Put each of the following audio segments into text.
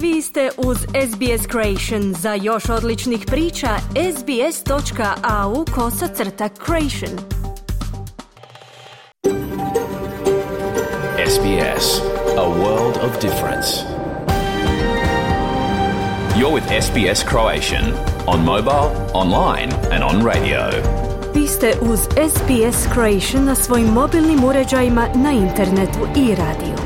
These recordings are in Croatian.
Vi ste uz SBS Creation. Za još odličnih priča, sbs.au/creation. SBS, a world of difference. You're with SBS Croatian on mobile, online and on radio. Vi ste uz SBS Creation na svojim mobilnim uređajima, na internetu i radiju.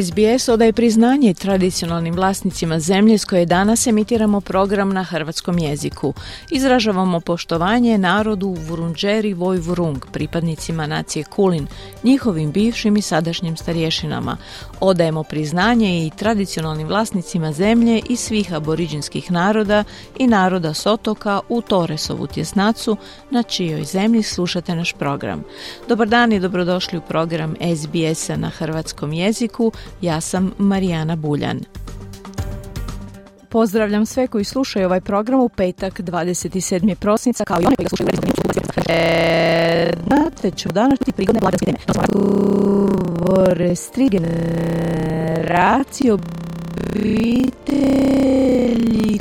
SBS odaje priznanje tradicionalnim vlasnicima zemlje s koje danas emitiramo program na hrvatskom jeziku. Izražavamo poštovanje narodu Vurundjeri Woi-wurrung, pripadnicima nacije Kulin, njihovim bivšim i sadašnjim starješinama. Odajemo priznanje i tradicionalnim vlasnicima zemlje i svih aboriđinskih naroda i naroda s otoka u Torresovu tjesnacu, na čijoj zemlji slušate naš program. Dobar dan i dobrodošli u program SBS-a na hrvatskom jeziku. Ja sam Marijana Buljan. Pozdravljam sve koji slušaju ovaj program u petak 27. prosinca, kao i one koji ga slušaju znate ću danas ti prigodne blagdanske teme. Restri generaciji obitelji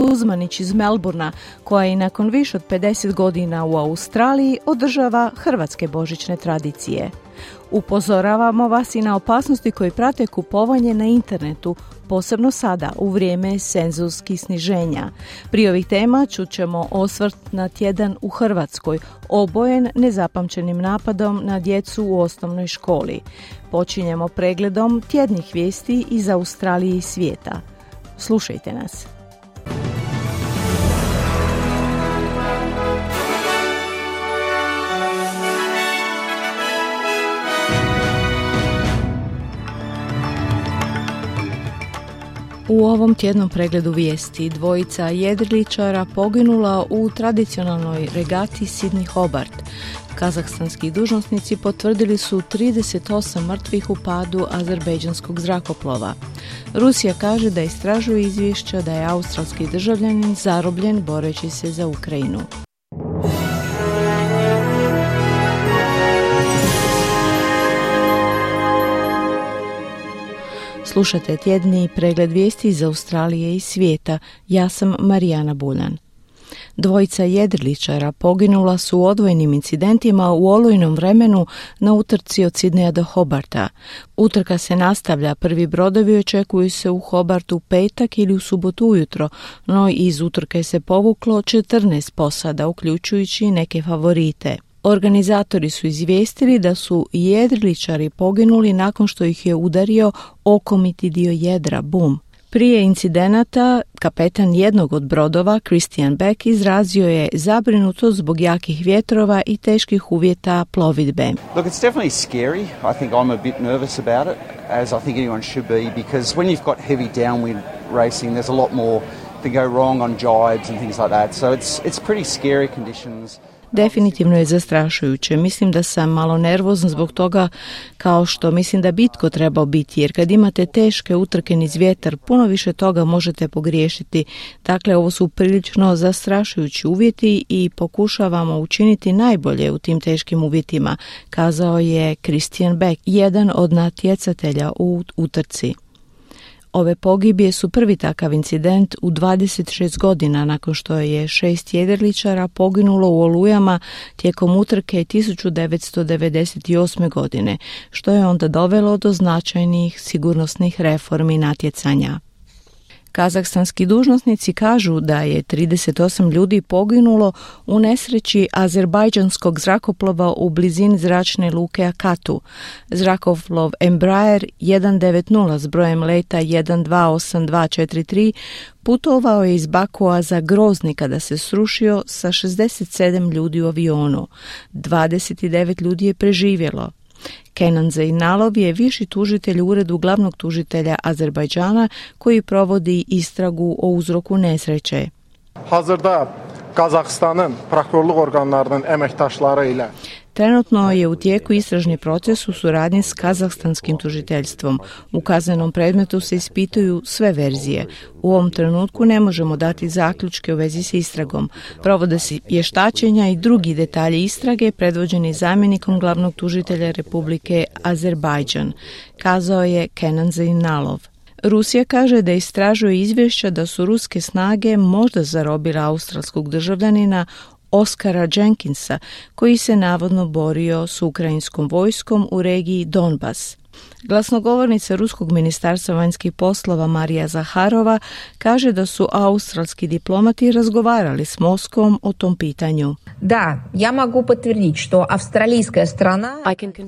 Kuzmanić iz Melbourna, koja i nakon više od 50 godina u Australiji održava hrvatske božićne tradicije. Upozoravamo vas i na opasnosti koje prate kupovanje na internetu, posebno sada u vrijeme senzorskih sniženja. Prije ovih tema čućemo osvrt na tjedan u Hrvatskoj, obojen nezapamćenim napadom na djecu u osnovnoj školi. Počinjemo pregledom tjednih vijesti iz Australije i svijeta. Slušajte nas. U ovom tjednom pregledu vijesti dvojica jedriličara poginula u tradicionalnoj regati Sydney Hobart. Kazahstanski dužnosnici potvrdili su 38 mrtvih u padu azerbejdžanskog zrakoplova. Rusija kaže da istražuje izvješća da je australski državljanin zarobljen boreći se za Ukrajinu. Slušate tjedni pregled vijesti iz Australije i svijeta. Ja sam Marijana Buljan. Dvojica jedriličara poginula su u odvojenim incidentima u olujnom vremenu na utrci od Sydneya do Hobarta. Utrka se nastavlja, prvi brodovi očekuju se u Hobartu u petak ili u subotu ujutro, no iz utrke se povuklo 14 posada, uključujući neke favorite. Organizatori su izvijestili da su jedriličari poginuli nakon što ih je udario okomiti dio jedra, bum. Prije incidenata, kapetan jednog od brodova, Christian Beck, izrazio je zabrinutost zbog jakih vjetrova i teških uvjeta plovidbe. Look, it's definitely scary. I think I'm a bit nervous about it, as I think anyone should be, because when you've got heavy downwind racing, there's a lot more to go wrong on jibes and things like that. So it's pretty scary conditions. Definitivno je zastrašujuće. Mislim da sam malo nervozna zbog toga, kao što mislim da bitko trebao biti, jer kad imate teške utrke niz vjetar, puno više toga možete pogriješiti. Dakle, ovo su prilično zastrašujući uvjeti i pokušavamo učiniti najbolje u tim teškim uvjetima, kazao je Christian Beck, jedan od natjecatelja u utrci. Ove pogibije su prvi takav incident u 26 godina nakon što je 6 jedriličara poginulo u olujama tijekom utrke 1998. godine, što je onda dovelo do značajnih sigurnosnih reformi natjecanja. Kazahstanski dužnosnici kažu da je 38 ljudi poginulo u nesreći azerbajdžanskog zrakoplova u blizini zračne luke Akatu. Zrakoplov Embraer 190 s brojem leta 128243 putovao je iz Bakua za Grozni kada se srušio sa 67 ljudi u avionu. 29 ljudi je preživjelo. Kenan Zeynalov je viši tužitelj u uredu glavnog tužitelja Azerbajdžana koji provodi istragu o uzroku nesreće. Hazırda Kazakstan'ın prokurorluq organlarının əməkdaşları ilə Trenutno je u tijeku istražni proces u suradnji s kazahstanskim tužiteljstvom. U kaznenom predmetu se ispituju sve verzije. U ovom trenutku ne možemo dati zaključke u vezi s istragom. Provode se vještačenja i drugi detalji istrage predvođeni zamjenikom glavnog tužitelja Republike Azerbajdžan, kazao je Kenan Zeynalov. Rusija kaže da istražuje izvješća da su ruske snage možda zarobile australskog državljanina Oskara Jenkinsa, koji se navodno borio s ukrajinskom vojskom u regiji Donbas. Glasnogovornica Ruskog ministarstva vanjskih poslova Marija Zaharova kaže da su australski diplomati razgovarali s Moskvom o tom pitanju. Da, ja mogu potvrditi što avstralijska strana...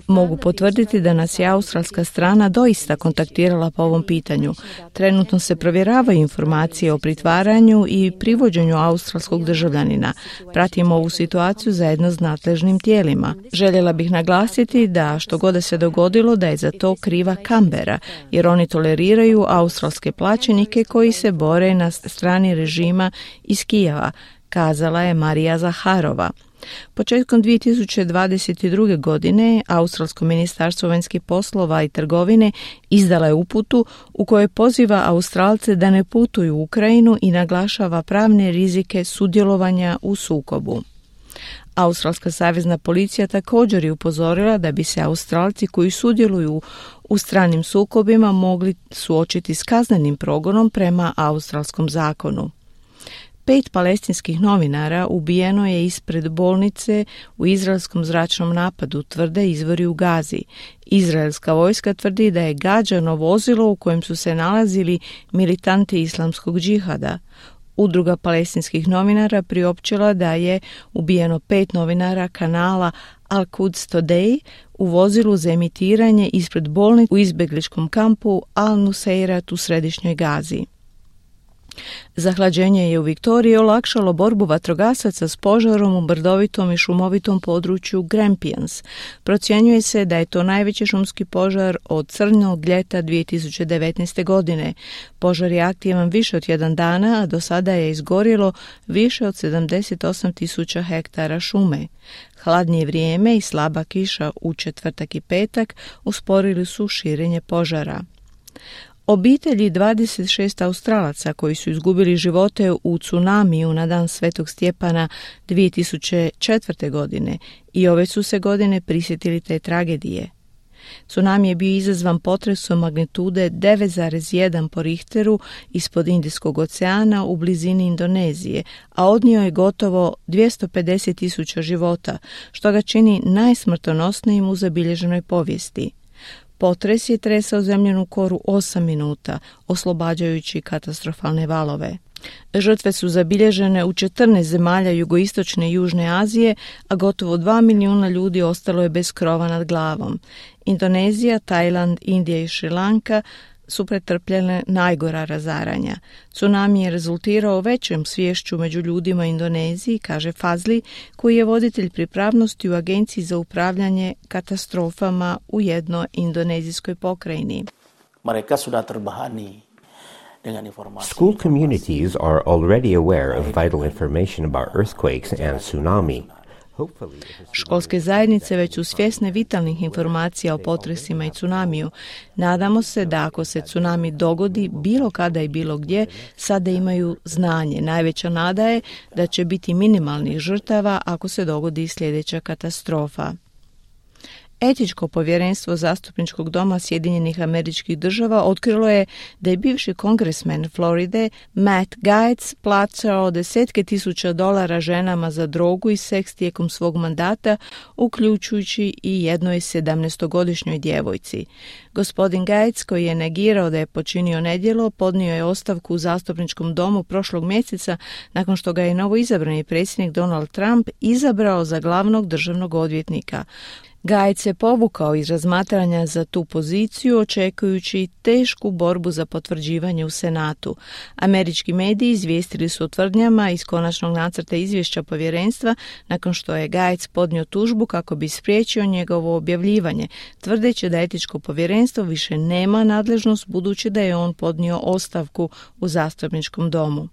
Mogu potvrditi da nas je australska strana doista kontaktirala po ovom pitanju. Trenutno se provjeravaju informacije o pritvaranju i privođenju australskog državljanina. Pratimo ovu situaciju zajedno s nadležnim tijelima. Željela bih naglasiti da što god se dogodilo da je za to kriva Kambera, jer oni toleriraju australske plaćenike koji se bore na strani režima iz Kijeva, kazala je Marija Zaharova. Početkom 2022. godine Australsko ministarstvo vanjskih poslova i trgovine izdala je uputu u kojoj poziva Australce da ne putuju u Ukrajinu i naglašava pravne rizike sudjelovanja u sukobu. Australska savezna policija također je upozorila da bi se Australci koji sudjeluju u stranim sukobima mogli suočiti s kaznenim progonom prema australskom zakonu. 5 palestinskih novinara ubijeno je ispred bolnice u izraelskom zračnom napadu, tvrde izvori u Gazi. Izraelska vojska tvrdi da je gađano vozilo u kojem su se nalazili militanti islamskog džihada. Udruga palestinskih novinara priopćila da je ubijeno 5 novinara kanala Al-Quds Today u vozilu za emitiranje ispred bolnice u izbjegličkom kampu Al-Nuseirat u središnjoj Gazi. Zahlađenje je u Viktoriji olakšalo borbu vatrogasaca s požarom u brdovitom i šumovitom području Grampians. Procjenjuje se da je to najveći šumski požar od crnog ljeta 2019. godine. Požar je aktivan više od 1 dana, a do sada je izgorjelo više od 78.000 hektara šume. Hladnije vrijeme i slaba kiša u četvrtak i petak usporili su širenje požara. Obitelji 26 Australaca koji su izgubili živote u tsunamiju na dan Svetog Stjepana 2004. godine i ove su se godine prisjetili te tragedije. Tsunami je bio izazvan potresom magnitude 9,1 po Richteru ispod Indijskog oceana u blizini Indonezije, a odnio je gotovo 250.000 života, što ga čini najsmrtonosnijim u zabilježenoj povijesti. Potres je tresao zemljenu koru 8 minuta, oslobađajući katastrofalne valove. Žrtve su zabilježene u 14 zemalja jugoistočne i južne Azije, a gotovo 2 milijuna ljudi ostalo je bez krova nad glavom. Indonezija, Tajland, Indija i Šrilanka su pretrpljene najgora razaranja. Tsunami je rezultirao većem sviješću među ljudima u Indoneziji, kaže Fazli, koji je voditelj pripravnosti u Agenciji za upravljanje katastrofama u jednoj indonezijskoj pokrajini. Mereka sudah terbahani dengan informasi. School communities are already aware of vital information about earthquakes and tsunami. Školske zajednice već su svjesne vitalnih informacija o potresima i tsunamiju. Nadamo se da ako se tsunami dogodi bilo kada i bilo gdje, sada imaju znanje. Najveća nada je da će biti minimalnih žrtava ako se dogodi sljedeća katastrofa. Etičko povjerenstvo Zastupničkog doma Sjedinjenih Američkih Država otkrilo je da je bivši kongresmen Floride Matt Gaetz plaćao $10,000 ženama za drogu i seks tijekom svog mandata, uključujući i jednoj 17-godišnjoj djevojci. Gospodin Gaetz, koji je negirao da je počinio nedjelo, podnio je ostavku u Zastupničkom domu prošlog mjeseca nakon što ga je novoizabrani predsjednik Donald Trump izabrao za glavnog državnog odvjetnika. Gaetz se povukao iz razmatranja za tu poziciju, očekujući tešku borbu za potvrđivanje u Senatu. Američki mediji izvijestili su o tvrdnjama iz konačnog nacrta izvješća povjerenstva nakon što je Gaetz podnio tužbu kako bi spriječio njegovo objavljivanje, tvrdeći da etičko povjerenstvo više nema nadležnost budući da je on podnio ostavku u Zastupničkom domu.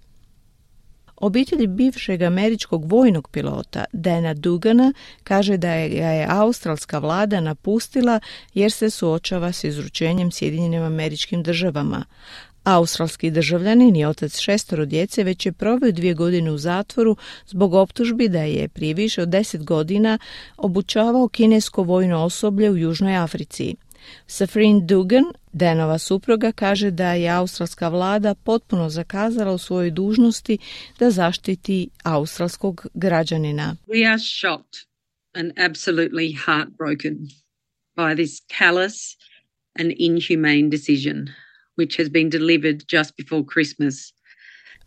Obitelj bivšeg američkog vojnog pilota Dana Dugana kaže da je australska vlada napustila jer se suočava s izručenjem Sjedinjenim Američkim Državama. Australski državljanin i otac 6 djece već je proveo 2 godine u zatvoru zbog optužbi da je prije više od 10 godina obučavao kinesko vojno osoblje u Južnoj Africi. Safrine Dugan, Danova supruga, kaže da je australska vlada potpuno zakazala u svojoj dužnosti da zaštiti australskog građanina. We are shocked and absolutely heartbroken by this callous and inhumane decision which has been delivered just before Christmas.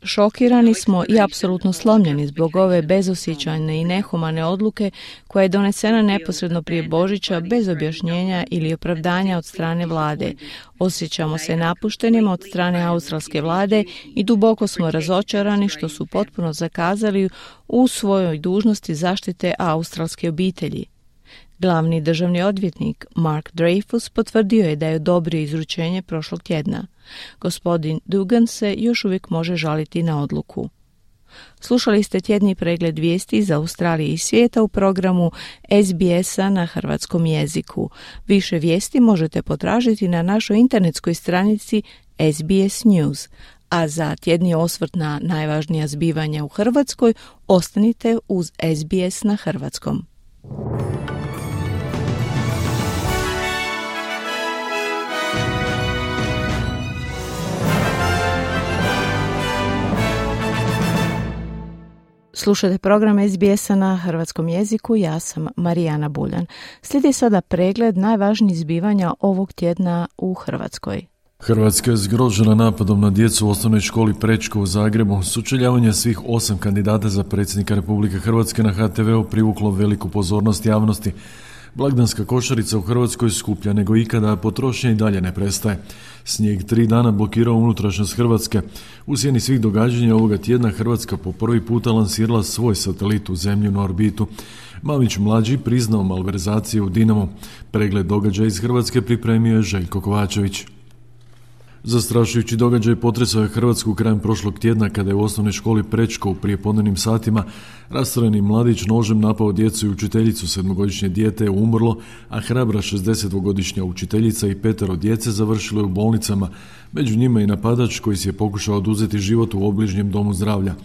Šokirani smo i apsolutno slomljeni zbog ove bezosjećajne i nehumane odluke koja je donesena neposredno prije Božića bez objašnjenja ili opravdanja od strane vlade. Osjećamo se napuštenima od strane australske vlade i duboko smo razočarani što su potpuno zakazali u svojoj dužnosti zaštite australske obitelji. Glavni državni odvjetnik Mark Dreyfus potvrdio je da je odobrio izručenje prošlog tjedna. Gospodin Dugan se još uvijek može žaliti na odluku. Slušali ste tjedni pregled vijesti iz Australije i svijeta u programu SBS-a na hrvatskom jeziku. Više vijesti možete potražiti na našoj internetskoj stranici SBS News. A za tjedni osvrt na najvažnija zbivanja u Hrvatskoj ostanite uz SBS na hrvatskom. Slušajte program SBS-a na hrvatskom jeziku, ja sam Marijana Buljan. Slijedi sada pregled najvažnijih zbivanja ovog tjedna u Hrvatskoj. Hrvatska je zgrožena napadom na djecu u osnovnoj školi Prečko u Zagrebu. Sučeljavanje svih 8 kandidata za predsjednika Republike Hrvatske na HTV-u privuklo veliku pozornost javnosti. Blagdanska košarica u Hrvatskoj skuplja nego ikada, a potrošnja i dalje ne prestaje. Snijeg 3 dana blokirao unutrašnjost Hrvatske. U sjeni svih događanja ovoga tjedna Hrvatska po prvi puta lansirala svoj satelit u zemljinu orbitu. Mamić mlađi priznao malverzacije u Dinamu. Pregled događaja iz Hrvatske pripremio je Željko Kovačević. Zastrašujući događaj potresao je Hrvatsku krajem prošlog tjedna kada je u osnovnoj školi Prečko u prijepodnevnim satima rastrojeni mladić nožem napao djecu i učiteljicu. 7-godišnje dijete je umrlo, a hrabra 60-godišnja učiteljica i 5 djece završilo je u bolnicama. Među njima i napadač koji si je pokušao oduzeti život u obližnjem domu zdravlja.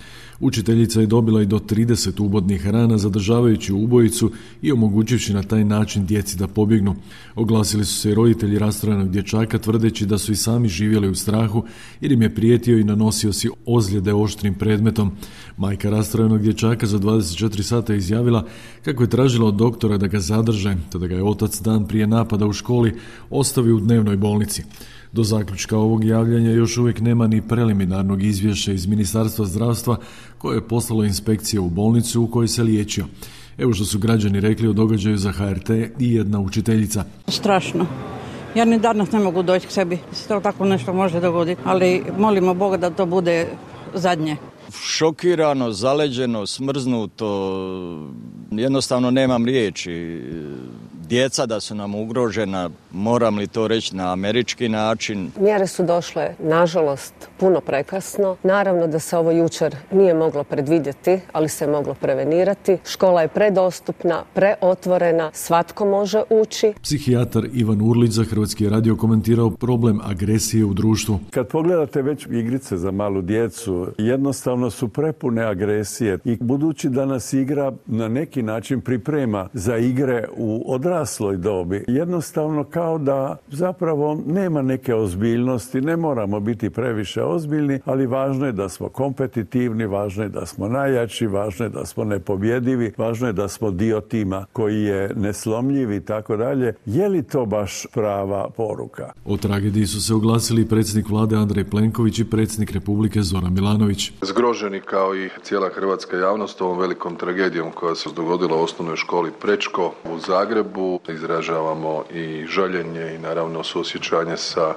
Učiteljica je dobila i do 30 ubodnih rana zadržavajući ubojicu i omogućivši na taj način djeci da pobjegnu. Oglasili su se i roditelji rastrojenog dječaka tvrdeći da su i sami živjeli u strahu jer im je prijetio i nanosio si ozljede oštrim predmetom. Majka rastrojenog dječaka za 24 sata izjavila kako je tražila od doktora da ga zadrže, te da ga je otac dan prije napada u školi ostavio u dnevnoj bolnici. Do zaključka ovog javljanja još uvijek nema ni preliminarnog izvješća iz Ministarstva zdravstva koje je poslalo inspekcije u bolnicu u kojoj se liječio. Evo što su građani rekli o događaju za HRT i jedna učiteljica. Strašno. Ja ni danas ne mogu doći k sebi. To tako nešto može dogoditi, ali molimo Boga da to bude zadnje. Šokirano, zaleđeno, smrznuto, jednostavno nemam riječi. Djeca da su nam ugrožena, moram li to reći na američki način? Mjere su došle, nažalost, puno prekasno. Naravno da se ovo jučer nije moglo predvidjeti, ali se moglo prevenirati. Škola je predostupna, preotvorena, svatko može ući. Psihijatar Ivan Urlić za Hrvatski radio komentirao problem agresije u društvu. Kad pogledate već igrice za malu djecu, jednostavno su prepune agresije i budući da nas igra na neki način priprema za igre u odrasloj dobi, jednostavno kao da zapravo nema neke ozbiljnosti, ne moramo biti previše ozbiljni, ali važno je da smo kompetitivni, važno je da smo najjači, važno je da smo nepobjedivi, važno je da smo dio tima koji je neslomljiv i tako dalje. Je li to baš prava poruka? O tragediji su se oglasili predsjednik vlade Andrej Plenković i predsjednik Republike Zoran Milanović. Zgroženi kao i cijela hrvatska javnost ovom velikom tragedijom koja se dogodila u osnovnoj školi Prečko u Zagrebu. Izražavamo i žaljenje i naravno suosjećanje sa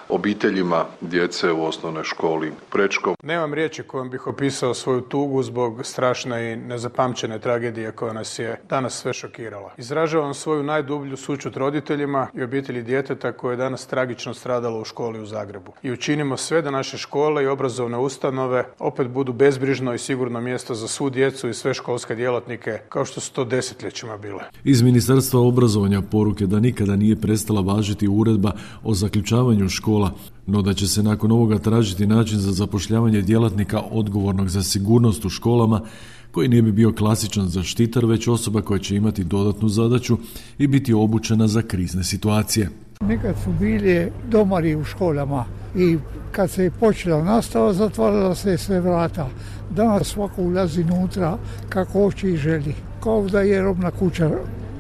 obiteljima djece u osnovnoj školi Prečko. Nemam riječi kojom bih opisao svoju tugu zbog strašne i nezapamćene tragedije koja nas je danas sve šokirala. Izražavam svoju najdublju sućut roditeljima i obitelji djeteta koje je danas tragično stradalo u školi u Zagrebu. I učinimo sve da naše škole i obrazovne ustanove opet budu bezbrižno i sigurno mjesto za svu djecu i sve školske djelatnike kao što su to desetljećima bile. Iz Ministarstva obrazovanja poruke da nikada nije prestala važiti uredba o zaključavanju škola, no da će se nakon ovoga tražiti način za zapošljavanje djelatnika odgovornog za sigurnost u školama, koji nije bi bio klasičan zaštitar, već osoba koja će imati dodatnu zadaću i biti obučena za krizne situacije. Nekad su bili domari u školama i kad se je počela nastava, zatvarala se sve vrata. Danas svako ulazi unutra kako hoće i želi, kao da je robna kuća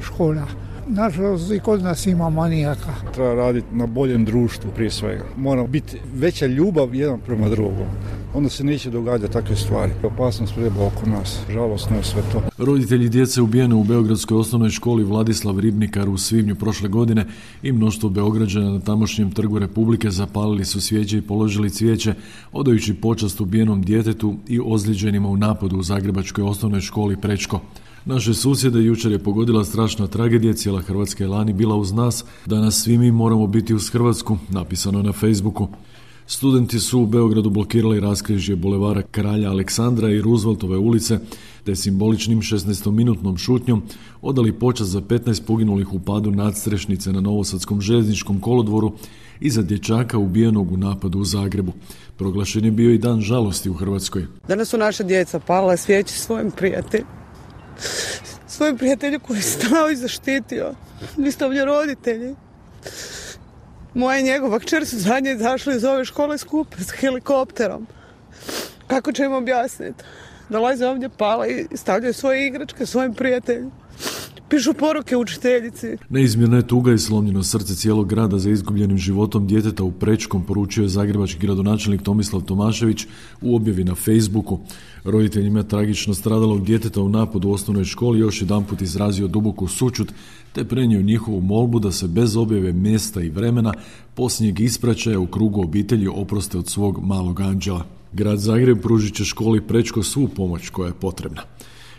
škola. Nažalost, i kod nas ima manijaka. Treba raditi na boljem društvu prije svega. Mora biti veća ljubav jedan prema drugom. Onda se neće događati takve stvari. Opasnost treba oko nas. Žalosno je sve to. Roditelji djece ubijene u beogradskoj osnovnoj školi Vladislav Ribnikar u svibnju prošle godine i mnoštvo Beograđana na tamošnjem Trgu Republike zapalili su svijeće i položili cvijeće, odajući počast ubijenom djetetu i ozlijeđenima u napadu u zagrebačkoj osnovnoj školi Prečko. Naše susjede jučer je pogodila strašna tragedija, cijela Hrvatska je lani bila uz nas, danas svi mi moramo biti uz Hrvatsku, napisano na Facebooku. Studenti su u Beogradu blokirali raskrižje bulevara Kralja Aleksandra i Rooseveltove ulice, te simboličnim 16-minutnom šutnjom odali počast za 15 poginulih u padu nadstrešnice na Novosadskom željezničkom kolodvoru i za dječaka ubijenog u napadu u Zagrebu. Proglašen je bio i dan žalosti u Hrvatskoj. Danas su naša djeca palila svijeće svojim prijatelju koji je stao i zaštitio. Vi ste ovdje roditelji. Moja i njegova kćer su zadnje izašli iz ove škole skupe s helikopterom. Kako će im objasniti? Dolaze ovdje, pala i stavljaju svoje igračke svojim prijateljima. Pišu poruke učiteljici. Neizmjerna je tuga i slomljeno srce cijelog grada za izgubljenim životom djeteta u Prečkom, poručio je zagrebački gradonačelnik Tomislav Tomašević u objavi na Facebooku. Roditeljima tragično stradalog djeteta u napadu u osnovnoj školi još jedanput izrazio duboku sućut, te prenio njihovu molbu da se bez objave mjesta i vremena posljednjeg ispraćaja u krugu obitelji oproste od svog malog anđela. Grad Zagreb pružit će školi Prečko svu pomoć koja je potrebna.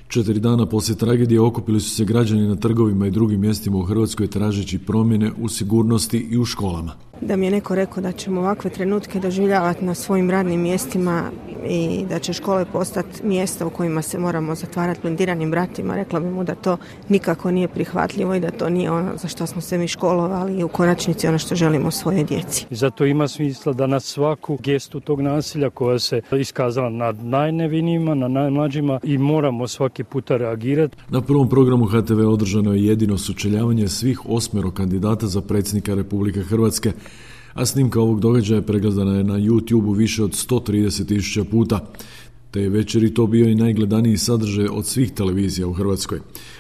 4 dana poslije tragedije okupili su se građani na trgovima i drugim mjestima u Hrvatskoj tražeći promjene u sigurnosti i u školama. Da mi je neko rekao da ćemo ovakve trenutke doživljavati na svojim radnim mjestima i da će škole postati mjesta u kojima se moramo zatvarati blindiranim vratima, rekla bi mu da to nikako nije prihvatljivo i da to nije ono za što smo se mi školovali i u konačnici ono što želimo svojoj djeci. I zato ima smisla da na svaku gestu tog nasilja koja se iskazala nad najnevinijima, na najmlađima i moramo svaki puta reagirati. Na prvom programu HTV održano je jedino sučeljavanje svih 8 kandidata za predsjednika Republike Hrvatske, a snimka ovog događaja pregledana je na YouTubeu više od 130.000 puta. Te večeri to bio i najgledaniji sadržaj od svih televizija u Hrvatskoj.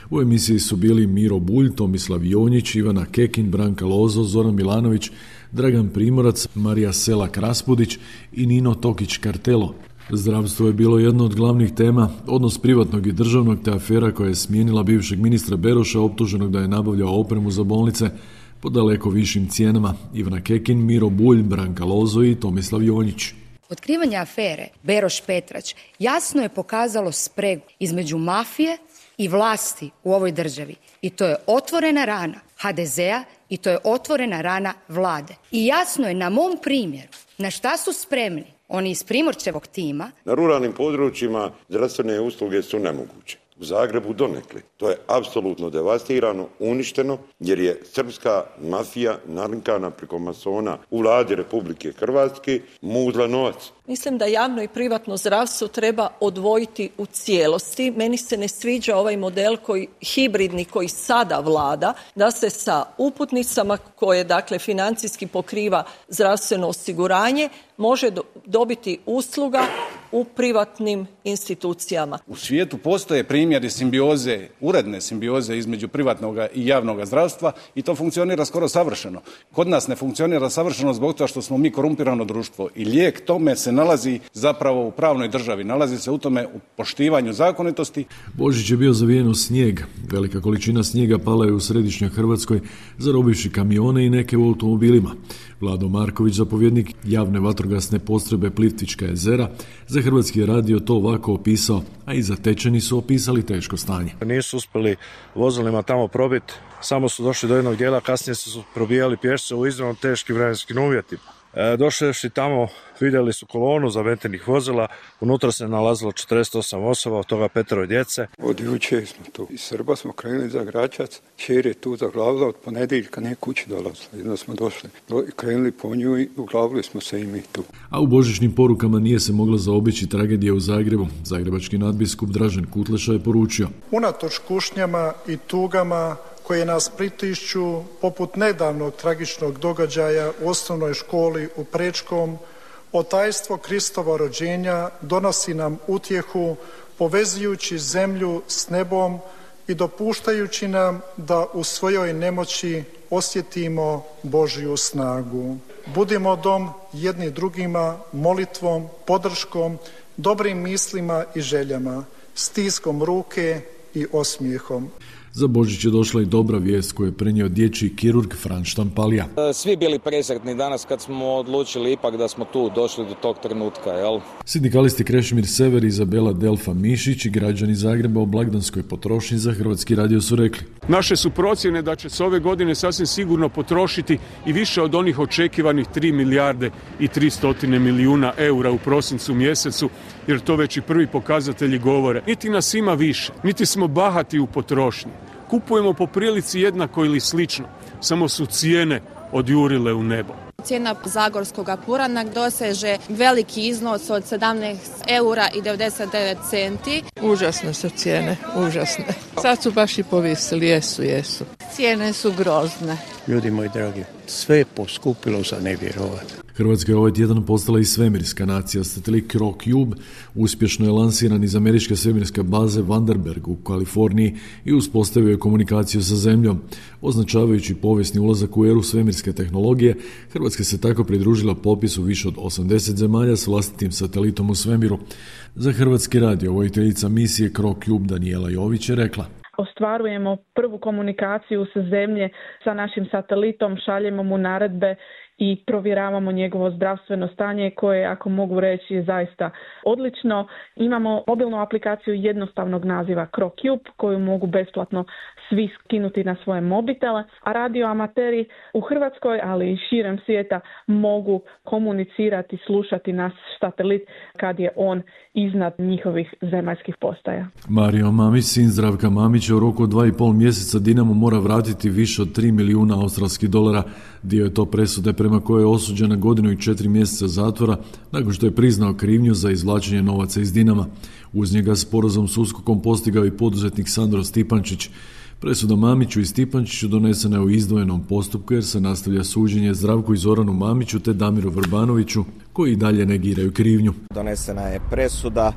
U emisiji su bili Miro Bulj, Tomislav Jonjić, Ivana Kekin, Branka Lozo, Zoran Milanović, Dragan Primorac, Marija Selak Raspudić i Nino Tokić Kartelo. Zdravstvo je bilo jedno od glavnih tema, odnos privatnog i državnog te afera koja je smijenila bivšeg ministra Beroša optuženog da je nabavljao opremu za bolnice po daleko višim cijenama. Ivana Kekin, Miro Bulj, Branka Lozo i Tomislav Jonjić. Otkrivanje afere Beroš-Petrać jasno je pokazalo spregu između mafije i vlasti u ovoj državi. I to je otvorena rana HDZ-a i to je otvorena rana vlade. I jasno je na mom primjeru na šta su spremni oni iz Primorčevog tima. Na ruralnim područjima zdravstvene usluge su nemoguće. U Zagrebu donekle. To je apsolutno devastirano, uništeno, jer je srpska mafija nalinkana preko masona u vladi Republike Hrvatske muzla novac. Mislim da javno i privatno zdravstvo treba odvojiti u cijelosti. Meni se ne sviđa ovaj model hibridni koji sada vlada, da se sa uputnicama koje dakle financijski pokriva zdravstveno osiguranje može dobiti usluga u privatnim institucijama. U svijetu postoje primjeri simbioze, uredne simbioze između privatnog i javnog zdravstva i to funkcionira skoro savršeno. Kod nas ne funkcionira savršeno zbog toga što smo mi korumpirano društvo i lijek tome se nalazi zapravo u pravnoj državi, nalazi se u tome u poštivanju zakonitosti. Božić je bio zavijen u snijeg. Velika količina snijega pala je u središnjoj Hrvatskoj, zarobivši kamione i neke u automobilima. Vlado Marković, zapovjednik javne vatrogasne postrojbe Plitvička jezera, za Hrvatski radio to ovako opisao, a i zatečeni su opisali teško stanje. Nisu uspjeli vozilima tamo probiti, samo su došli do jednog dijela, kasnije su probijali pješce u iznimno teškim vremenskim uvjetima. Došli tamo, vidjeli su kolonu zavetenih vozila, unutra se nalazilo 48 osoba, od toga 5 djece. Od jučer smo tu. Iz Srba smo krenuli za Gračac, kćer je tu zaglavila, od ponedjeljka nije kući dolazila. Jedno smo došli, krenuli po nju i uglavili smo se i mi tu. A u božićnim porukama nije se mogla zaobići tragedija u Zagrebu. Zagrebački nadbiskup Dražen Kutleša je poručio: unatoč kušnjama i tugama koje nas pritišću, poput nedavnog tragičnog događaja u osnovnoj školi u Prečkom, otajstvo Kristova rođenja donosi nam utjehu, povezujući zemlju s nebom i dopuštajući nam da u svojoj nemoći osjetimo Božju snagu. Budimo dom jedni drugima molitvom, podrškom, dobrim mislima i željama, stiskom ruke i osmijehom. Za Božić je došla i dobra vijest koju je prenio dječji kirurg Fran Štampalija. Svi bili presretni danas kad smo odlučili ipak da smo tu došli do tog trenutka, jel? Sindikalisti Krešimir Sever i Izabela Delfa Mišić i građani Zagreba o blagdanskoj potrošnji za Hrvatski radio su rekli: naše su procjene da će se ove godine sasvim sigurno potrošiti i više od onih očekivanih 3 milijarde i 300 milijuna eura u prosincu mjesecu, jer to već i prvi pokazatelji govore. Niti nas ima više, niti smo bahati u potrošnji. Kupujemo po prilici jednako ili slično, samo su cijene odjurile u nebo. Cijena zagorskog purana doseže veliki iznos od 17 eura i 99 centi. Užasne su cijene, užasne. Sad su baš i povisili, jesu. Cijene su grozne. Ljudi moji dragi, sve je poskupilo za nevjerovati. Hrvatska je ovaj tjedan postala i svemirska nacija. Satelit CroCube uspješno je lansiran iz američke svemirske baze Vandenberg u Kaliforniji i uspostavio je komunikaciju sa Zemljom. Označavajući povijesni ulazak u eru svemirske tehnologije, Hrvatska se tako pridružila popisu više od 80 zemalja s vlastitim satelitom u svemiru. Za Hrvatski radio vojiteljica misije CroCube Danijela Jović je rekla: ostvarujemo prvu komunikaciju sa Zemlje sa našim satelitom, šaljemo mu naredbe i provjeravamo njegovo zdravstveno stanje koje, ako mogu reći, je zaista odlično. Imamo mobilnu aplikaciju jednostavnog naziva CroCube koju mogu besplatno svi skinuti na svoje mobitele, a radioamateri u Hrvatskoj, ali i širem svijeta mogu komunicirati, slušati naš satelit kad je on iznad njihovih zemaljskih postaja. Mario Mamić, sin Zdravka Mamića, u roku od 2,5 mjeseca Dinamo mora vratiti više od 3 milijuna australskih dolara. Dio je to presude prema kojoj je osuđen na 1 godinu i 4 mjeseca zatvora nakon što je priznao krivnju za izvlačenje novaca iz Dinama. Uz njega sporazum s USKOK-om postigao i poduzetnik Sandro Stipančić. Presuda Mamiću i Stipančiću donesena je u izdvojenom postupku jer se nastavlja suđenje Zdravku i Zoranu Mamiću te Damiru Vrbanoviću koji i dalje negiraju krivnju. Donesena je presuda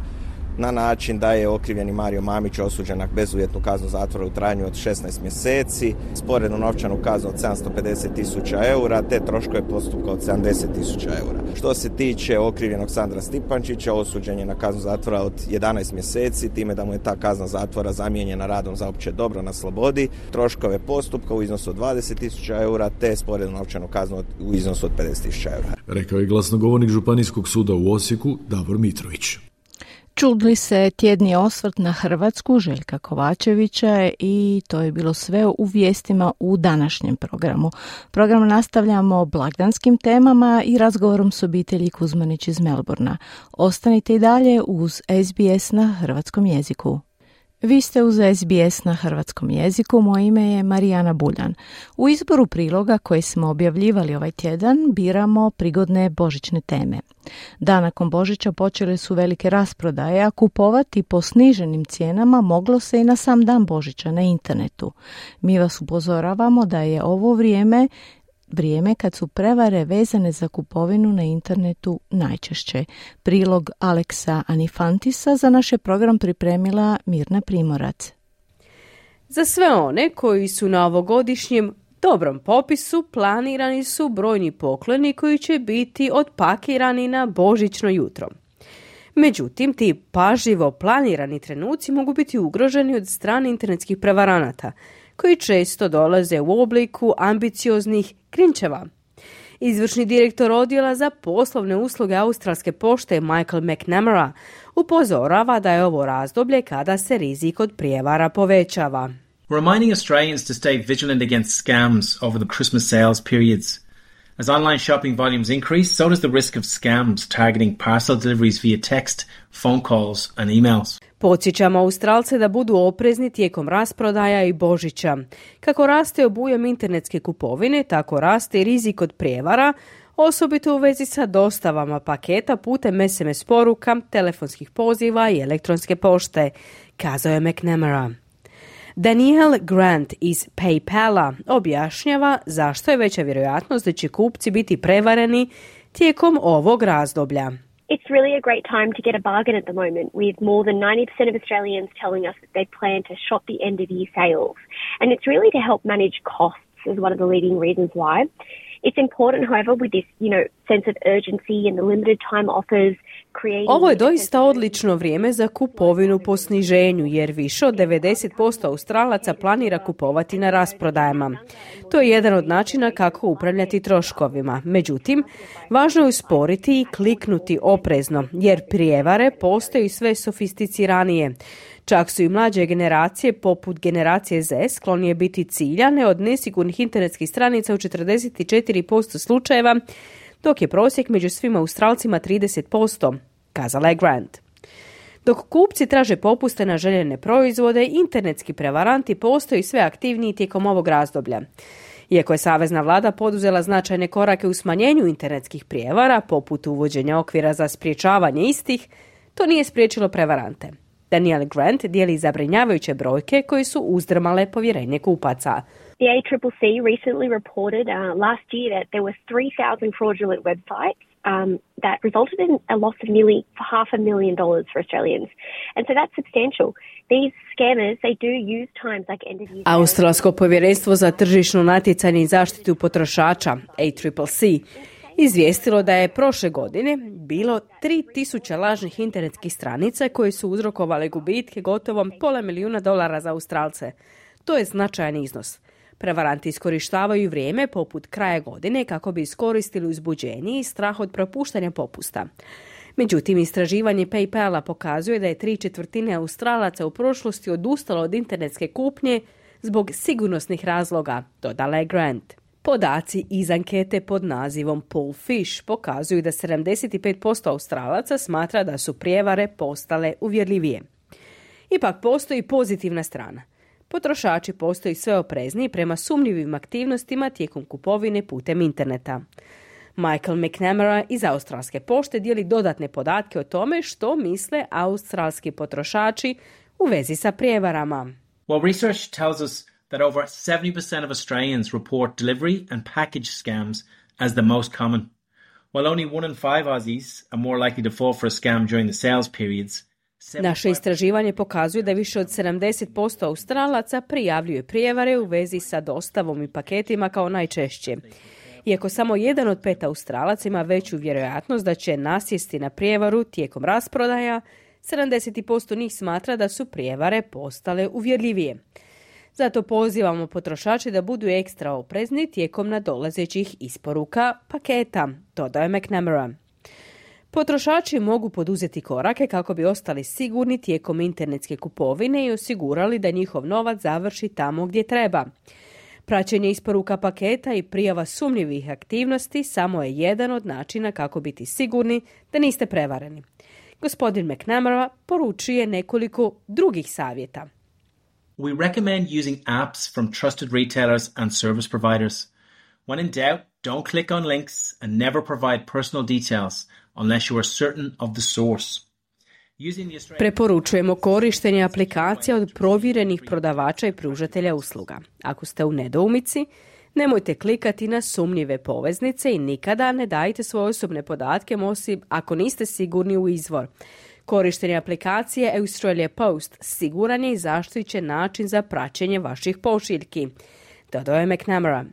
na način da je okrivljeni Mario Mamić osuđen na bezuvjetnu kaznu zatvora u trajanju od 16 mjeseci, sporednu novčanu kaznu od 750.000 eura te troškove postupka od 70.000 eura. Što se tiče okrivljenog Sandra Stipančića, osuđen je na kaznu zatvora od 11 mjeseci, time da mu je ta kazna zatvora zamijenjena radom za opće dobro na slobodi, troškove postupka u iznosu od 20.000 eura te sporednu novčanu kaznu u iznosu od 50.000 eura. Rekao je glasnogovornik Županijskog suda u Osijeku Davor Mitrović. Čuli se tjedni osvrt na Hrvatsku Željka Kovačevića i to je bilo sve u vijestima u današnjem programu. Program nastavljamo blagdanskim temama i razgovorom s obitelji Kuzmanić iz Melbourna. Ostanite i dalje uz SBS na hrvatskom jeziku. Vi ste uz SBS na hrvatskom jeziku, moje ime je Marijana Buljan. U izboru priloga koje smo objavljivali ovaj tjedan biramo prigodne božićne teme. Dan nakon Božića počele su velike rasprodaje, a kupovati po sniženim cijenama moglo se i na sam dan Božića na internetu. Mi vas upozoravamo da je ovo vrijeme vrijeme kad su prevare vezane za kupovinu na internetu najčešće. Prilog Aleksa Anifantisa za naš je program pripremila Mirna Primorac. Za sve one koji su na ovogodišnjem dobrom popisu planirani su brojni pokloni koji će biti otpakirani na božićno jutro. Međutim, ti pažljivo planirani trenuci mogu biti ugroženi od strane internetskih prevaranata, koji često dolaze u obliku ambicioznih krinčeva. Izvršni direktor odjela za poslovne usluge Australske pošte Michael McNamara upozorava da je ovo razdoblje kada se rizik od prijevara povećava. Reminding Australians to stay vigilant against scams over the Christmas sales periods. As online shopping volumes increase, so does the risk of scams targeting parcel deliveries via text, phone calls and emails. Podsjećamo Australce da budu oprezni tijekom rasprodaja i Božića. Kako raste obujam internetske kupovine, tako raste i rizik od prijevara, osobito u vezi sa dostavama paketa putem SMS poruka, telefonskih poziva i elektronske pošte, kazao je McNamara. Danielle Grant iz PayPala objašnjava zašto je veća vjerojatnost da će kupci biti prevareni tijekom ovog razdoblja. It's really a great time to get a bargain at the moment, with more than 90% of Australians telling us that they plan to shop the end of year sales. And it's really to help manage costs as one of the leading reasons why. It's important, however, with this, sense of urgency and the limited time offers. Ovo je doista odlično vrijeme za kupovinu po sniženju, jer više od 90% Australaca planira kupovati na rasprodajama. To je jedan od načina kako upravljati troškovima. Međutim, važno je usporiti i kliknuti oprezno, jer prijevare postaju sve sofisticiranije. Čak su i mlađe generacije, poput generacije Z, sklonije biti ciljane od nesigurnih internetskih stranica u 44% slučajeva, dok je prosjek među svima Australcima 30%, kazala je Grant. Dok kupci traže popuste na željene proizvode, internetski prevaranti postaju sve aktivniji tijekom ovog razdoblja. Iako je savezna vlada poduzela značajne korake u smanjenju internetskih prijevara, poput uvođenja okvira za sprječavanje istih, to nije spriječilo prevarante. Danielle Grant dijeli zabrinjavajuće brojke koje su uzdrmale povjerenje kupaca. The ACCC recently reported last year that there were 3,000 fraudulent websites that resulted in a loss of nearly $500,000 for Australians. And so that's substantial. These scammers, they do use times like end of year. Australsko povjerenstvo za tržišno natjecanje i zaštitu potrošača, ACCC, izvijestilo da je prošle godine bilo 3.000 lažnih internetskih stranica koje su uzrokovale gubitke gotovo $500,000 za Australce. To je značajan iznos. Prevaranti iskorištavaju vrijeme poput kraja godine kako bi iskoristili uzbuđenje i strah od propuštanja popusta. Međutim, istraživanje PayPala pokazuje da je 3/4 Australaca u prošlosti odustalo od internetske kupnje zbog sigurnosnih razloga, dodala je Grant. Podaci iz ankete pod nazivom Poll Fish pokazuju da 75% Australaca smatra da su prijevare postale uvjerljivije. Ipak postoji pozitivna strana. Potrošači postaju sve oprezniji prema sumnjivim aktivnostima tijekom kupovine putem interneta. Michael McNamara iz Australske pošte dijeli dodatne podatke o tome što misle australski potrošači u vezi sa prijevarama. Well, research tells us that over 70% of Australians report delivery and package scams as the most common. While only 1 in 5 Aussies are more likely to fall for a scam during the sales periods, naše istraživanje pokazuje da više od 70% Australaca prijavljuje prijevare u vezi sa dostavom i paketima kao najčešće. Iako samo 1 od 5 Australaca ima veću vjerojatnost da će nasjesti na prijevaru tijekom rasprodaja, 70% njih smatra da su prijevare postale uvjerljivije. Zato pozivamo potrošače da budu ekstra oprezni tijekom nadolazećih isporuka paketa, dodao je McNamara. Potrošači mogu poduzeti korake kako bi ostali sigurni tijekom internetske kupovine i osigurali da njihov novac završi tamo gdje treba. Praćenje isporuka paketa i prijava sumnjivih aktivnosti samo je jedan od načina kako biti sigurni da niste prevareni. Gospodin McNamara poručuje nekoliko drugih savjeta. We recommend using apps from trusted retailers and service providers. When in doubt, don't click on links and never provide personal details unless you are certain of the source. Preporučujemo korištenje aplikacija od provjerenih prodavača i pružatelja usluga. Ako ste u nedoumici, Nemojte klikati na sumnjive poveznice i nikada ne dajte svoje osobne podatke osim ako niste sigurni u izvor. Korištenje aplikacije Australia Post siguran je i zaštićen način za praćenje vaših pošiljki, dodao je McNamara.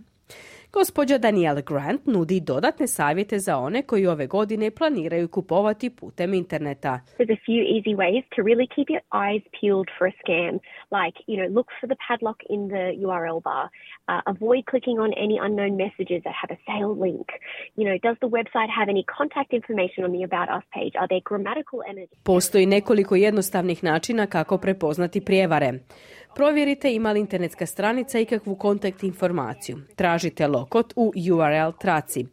Gospođa Danielle Grant nudi dodatne savjete za one koji ove godine planiraju kupovati putem interneta. There's a few easy ways to really keep your eyes peeled for a scam, like, look for the padlock in the URL bar, avoid clicking on any unknown messages that have a sale link. Does the website have any contact information on the About Us page? Are there grammatical errors? Postoji nekoliko jednostavnih načina kako prepoznati prijevare. Provjerite ima li internetska stranica ikakvu kontakt informaciju. Tražite lokot u URL traci.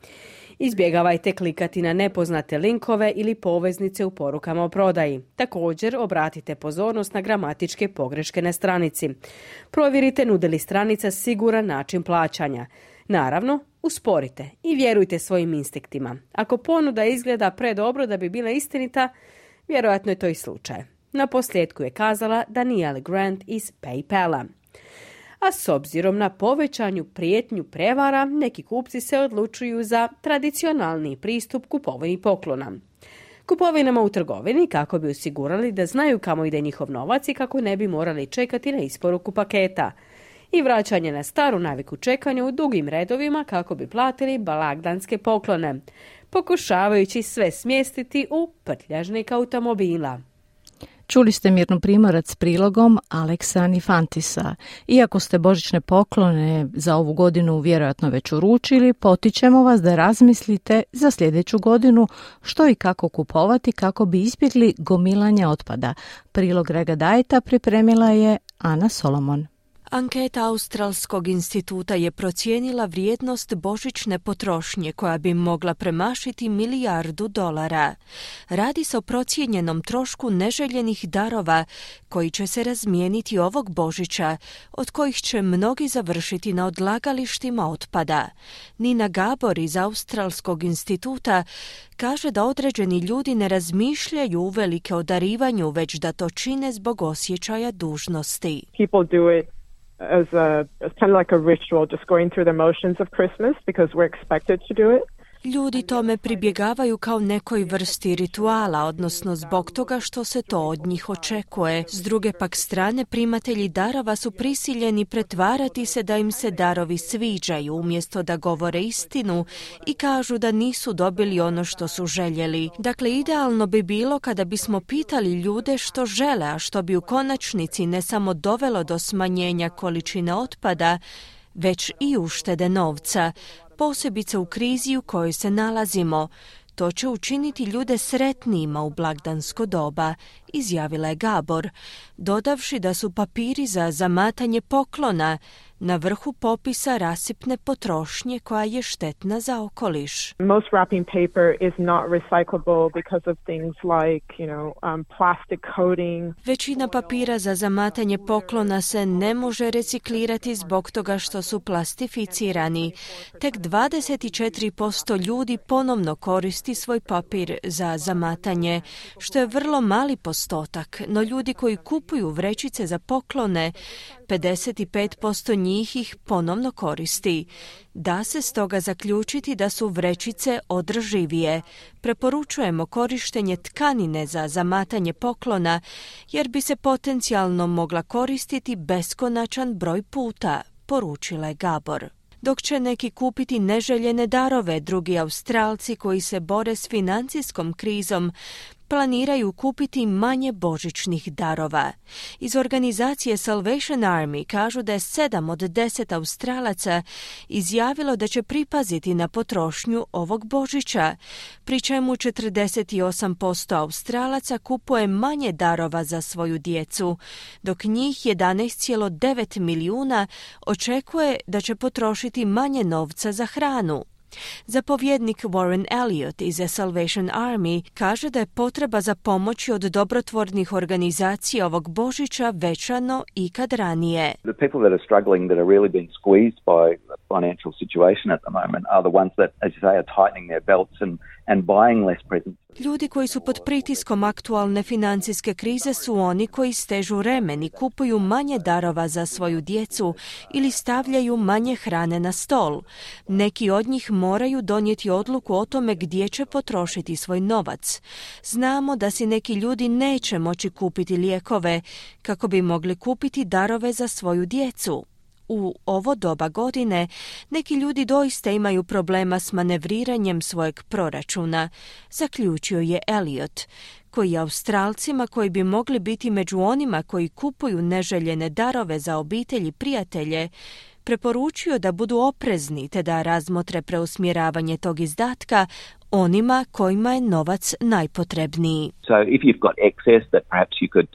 Izbjegavajte klikati na nepoznate linkove ili poveznice u porukama o prodaji. Također, obratite pozornost na gramatičke pogreške na stranici. Provjerite nude li stranica siguran način plaćanja. Naravno, usporite i vjerujte svojim instinktima. Ako ponuda izgleda predobro da bi bila istinita, vjerojatno je to i slučaj. Na posljedku je kazala Danielle Grant iz PayPala. A s obzirom na povećanju prijetnju prevara, neki kupci se odlučuju za tradicionalni pristup kupovini poklona. Kupovinama u trgovini kako bi osigurali da znaju kamo ide njihov novac i kako ne bi morali čekati na isporuku paketa. I vraćanje na staru naviku čekanja u dugim redovima kako bi platili blagdanske poklone, pokušavajući sve smjestiti u prtljažnik automobila. Čuli ste Mirnu Primorac s prilogom Aleksa Nifantisa. Iako ste božićne poklone za ovu godinu vjerojatno već uručili, potičemo vas da razmislite za sljedeću godinu što i kako kupovati kako bi izbjegli gomilanje otpada. Prilog Rega Dajeta pripremila je Ana Solomon. Anketa Australskog instituta je procijenila vrijednost božićne potrošnje koja bi mogla premašiti $1 milijardu. Radi se o procijenjenom trošku neželjenih darova koji će se razmijeniti ovog Božića, od kojih će mnogi završiti na odlagalištima otpada. Nina Gabor iz Australskog instituta kaže da određeni ljudi ne razmišljaju uvelike o darivanju, već da to čine zbog osjećaja dužnosti. People do it as kind of like a ritual, just going through the motions of Christmas because we're expected to do it. Ljudi tome pribjegavaju kao nekoj vrsti rituala, odnosno zbog toga što se to od njih očekuje. S druge pak strane, primatelji darova su prisiljeni pretvarati se da im se darovi sviđaju, umjesto da govore istinu i kažu da nisu dobili ono što su željeli. Dakle, idealno bi bilo kada bismo pitali ljude što žele, a što bi u konačnici ne samo dovelo do smanjenja količine otpada, već i uštede novca, posebice u krizi u kojoj se nalazimo. To će učiniti ljude sretnijima u blagdansko doba, izjavila je Gabor, dodavši da su papiri za zamatanje poklona na vrhu popisa rasipne potrošnje koja je štetna za okoliš. Most wrapping paper is not recyclable because of things like, plastic coating. Većina papira za zamatanje poklona se ne može reciklirati zbog toga što su plastificirani. Tek 24% ljudi ponovno koristi svoj papir za zamatanje, što je vrlo mali postotak, no ljudi koji kupuju vrećice za poklone, 55% njih ih ponovno koristi. Da se stoga zaključiti da su vrećice održivije. Preporučujemo korištenje tkanine za zamatanje poklona, jer bi se potencijalno mogla koristiti beskonačan broj puta, poručila je Gabor. Dok će neki kupiti neželjene darove, drugi Australci koji se bore s financijskom krizom planiraju kupiti manje božićnih darova. Iz organizacije Salvation Army kažu da je 7 od 10 Australaca izjavilo da će pripaziti na potrošnju ovog Božića, pri čemu 48% Australaca kupuje manje darova za svoju djecu, dok njih 11,9 milijuna očekuje da će potrošiti manje novca za hranu. Zapovjednik Warren Elliott iz Salvation Army kaže da je potreba za pomoći od dobrotvornih organizacija ovog Božića veća no ikad ranije. The people that are struggling, that are really being squeezed by financial situation at the moment are the ones that, as you say, are tightening their belts and buying less presents. Ljudi koji su pod pritiskom aktualne financijske krize su oni koji stežu remen i kupuju manje darova za svoju djecu ili stavljaju manje hrane na stol. Neki od njih moraju donijeti odluku o tome gdje će potrošiti svoj novac. Znamo da si neki ljudi neće moći kupiti lijekove kako bi mogli kupiti darove za svoju djecu. U ovo doba godine neki ljudi doista imaju problema s manevriranjem svojeg proračuna, zaključio je Elliot, koji je Australcima koji bi mogli biti među onima koji kupuju neželjene darove za obitelj i prijatelje, preporučio da budu oprezni te da razmotre preusmjeravanje tog izdatka onima kojima je novac najpotrebniji. So if you've got excess that perhaps you could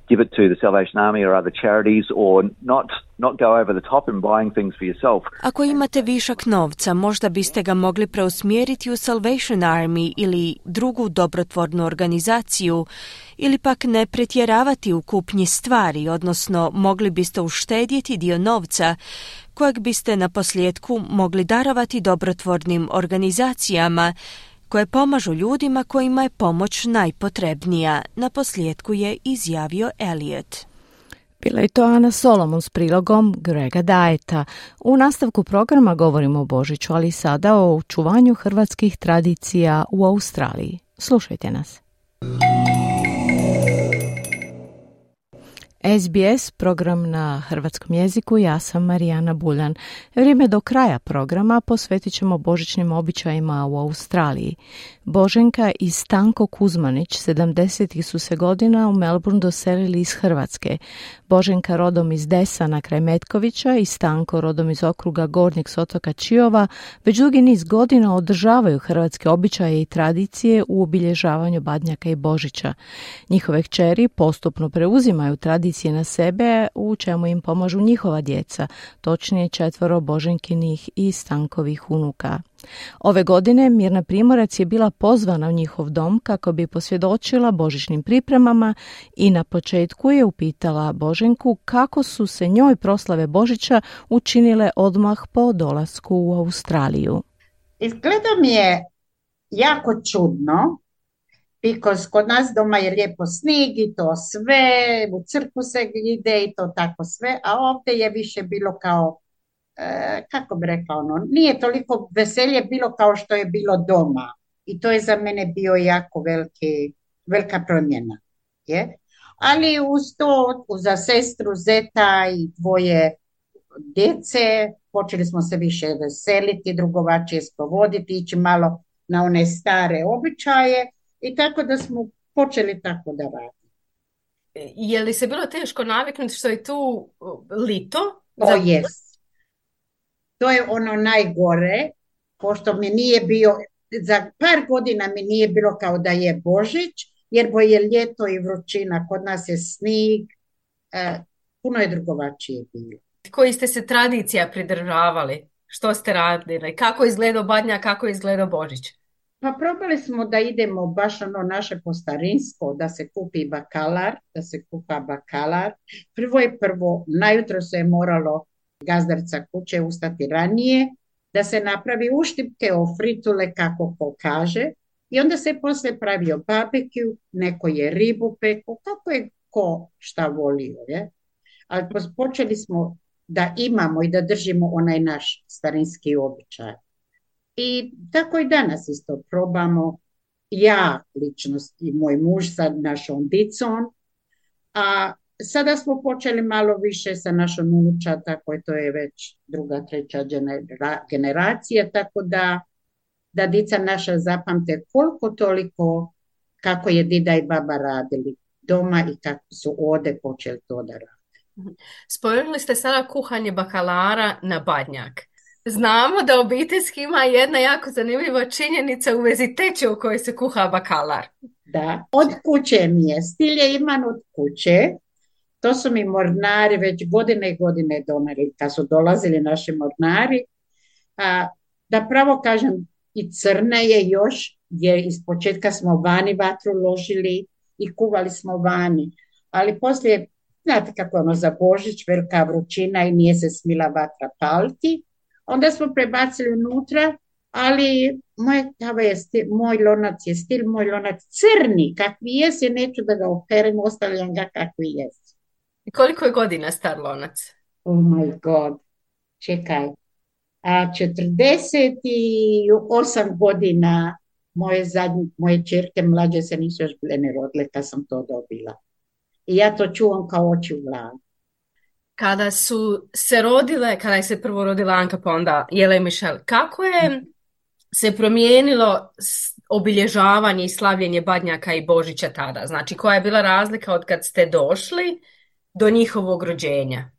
give it to the Salvation Army or other charities or not go over the top in buying things for yourself. Ako imate višak novca, možda biste ga mogli preusmjeriti u Salvation Army ili drugu dobrotvornu organizaciju ili pak ne pretjeravati u kupnji stvari, odnosno mogli biste uštedjeti dio novca kojeg biste na posljedku mogli darovati dobrotvornim organizacijama koje pomažu ljudima kojima je pomoć najpotrebnija, na posljedku je izjavio Elliot. Bila je to Ana Solomon s prilogom Grega Dajeta. U nastavku programa govorimo o Božiću, ali sada o očuvanju hrvatskih tradicija u Australiji. Slušajte nas. SBS, program na hrvatskom jeziku, ja sam Marijana Buljan. Vrijeme do kraja programa posvetit ćemo božićnim običajima u Australiji. Boženka i Stanko Kuzmanić, 70. su se godina u Melbourne doselili iz Hrvatske. Boženka rodom iz Desana kraj Metkovića i Stanko rodom iz okruga Gornjeg s otoka Čiova već dugi niz godina održavaju hrvatske običaje i tradicije u obilježavanju Badnjaka i Božića. Njihove kćeri postupno preuzimaju tradicije na sebe, u čemu im pomažu njihova djeca, točnije 4 Boženkinih i Stankovih unuka. Ove godine Mirna Primorac je bila pozvana u njihov dom kako bi posvjedočila božićnim pripremama i na početku je upitala Boženku kako su se njoj proslave Božića učinile odmah po dolasku u Australiju. Izgleda mi je jako čudno, because kod nas doma je lijepo snijeg i to sve, u crkvu se ide i to tako sve, a ovdje je više bilo kao, kako bi rekla, nije toliko veselje bilo kao što je bilo doma. I to je za mene bio jako velika promjena. Je? Ali uz to, za sestru, zeta i 2 djece, počeli smo se više veseliti, drugovačije sprovoditi, ići malo na one stare običaje i tako da smo počeli tako da radimo. Je li se bilo teško naviknuti što je tu lito? Jest. To je ono najgore, pošto mi nije bio, za par godina mi nije bilo kao da je Božić, jer bo je ljeto i vrućina, kod nas je snijeg, puno je drugovačije bilo. Koji ste se tradicija pridržavali? Što ste radili? Kako je izgledao Badnjak, kako je izgledao Božić? Pa probali smo da idemo baš ono naše po starinsko, da se kupi bakalar, da se kupa bakalar. Prvo, najutro se je moralo gazdarica kuće ustati ranije, da se napravi uštipke o fritule kako ko kaže i onda se poslije pravio barbecue, neko je ribu peko, kako je ko šta volio. Je? Ali počeli smo da imamo i da držimo onaj naš starinski običaj. I tako i danas isto probamo, ja lično i moj muž sa našom dicom, a sada smo počeli malo više sa našom unuča, tako je to je već 2., 3. generacija, tako da dica naša zapamte koliko toliko kako je dida i baba radili doma i kako su ovdje počeli to da rade. Spomenuli ste sada kuhanje bakalara na Badnjak. Znamo da obiteljski ima jedna jako zanimljiva činjenica u vezi teče u kojoj se kuha bakalar. Da, od kuće mi je. Stil je iman od kuće. To su mi mornari već godine i godine doneli, kad su dolazili naši mornari. Da pravo kažem, i crne je još, jer iz početka smo vani vatru ložili i kuvali smo vani. Ali poslije, znate kako ono za Božić, velika vrućina i nije se smila vatra paliti. Onda smo prebacili unutra, ali moj lonac je stil, moj lonac crni, kakvi jes, ja neću da ga operem, ostavljam ga kakvi jes. I koliko je godina star lonac? Oh my god, čekaj. 48 godina moje čerke mlađe se nisu još bile ne rodile kad sam to dobila. I ja to čuvam kao oči u glavi. Kada su se rodile, kada je se prvo rodila Anka pa onda Jela i Mišel, kako je se promijenilo obilježavanje i slavljenje Badnjaka i Božića tada? Znači, koja je bila razlika od kad ste došli do njihovog rođenja?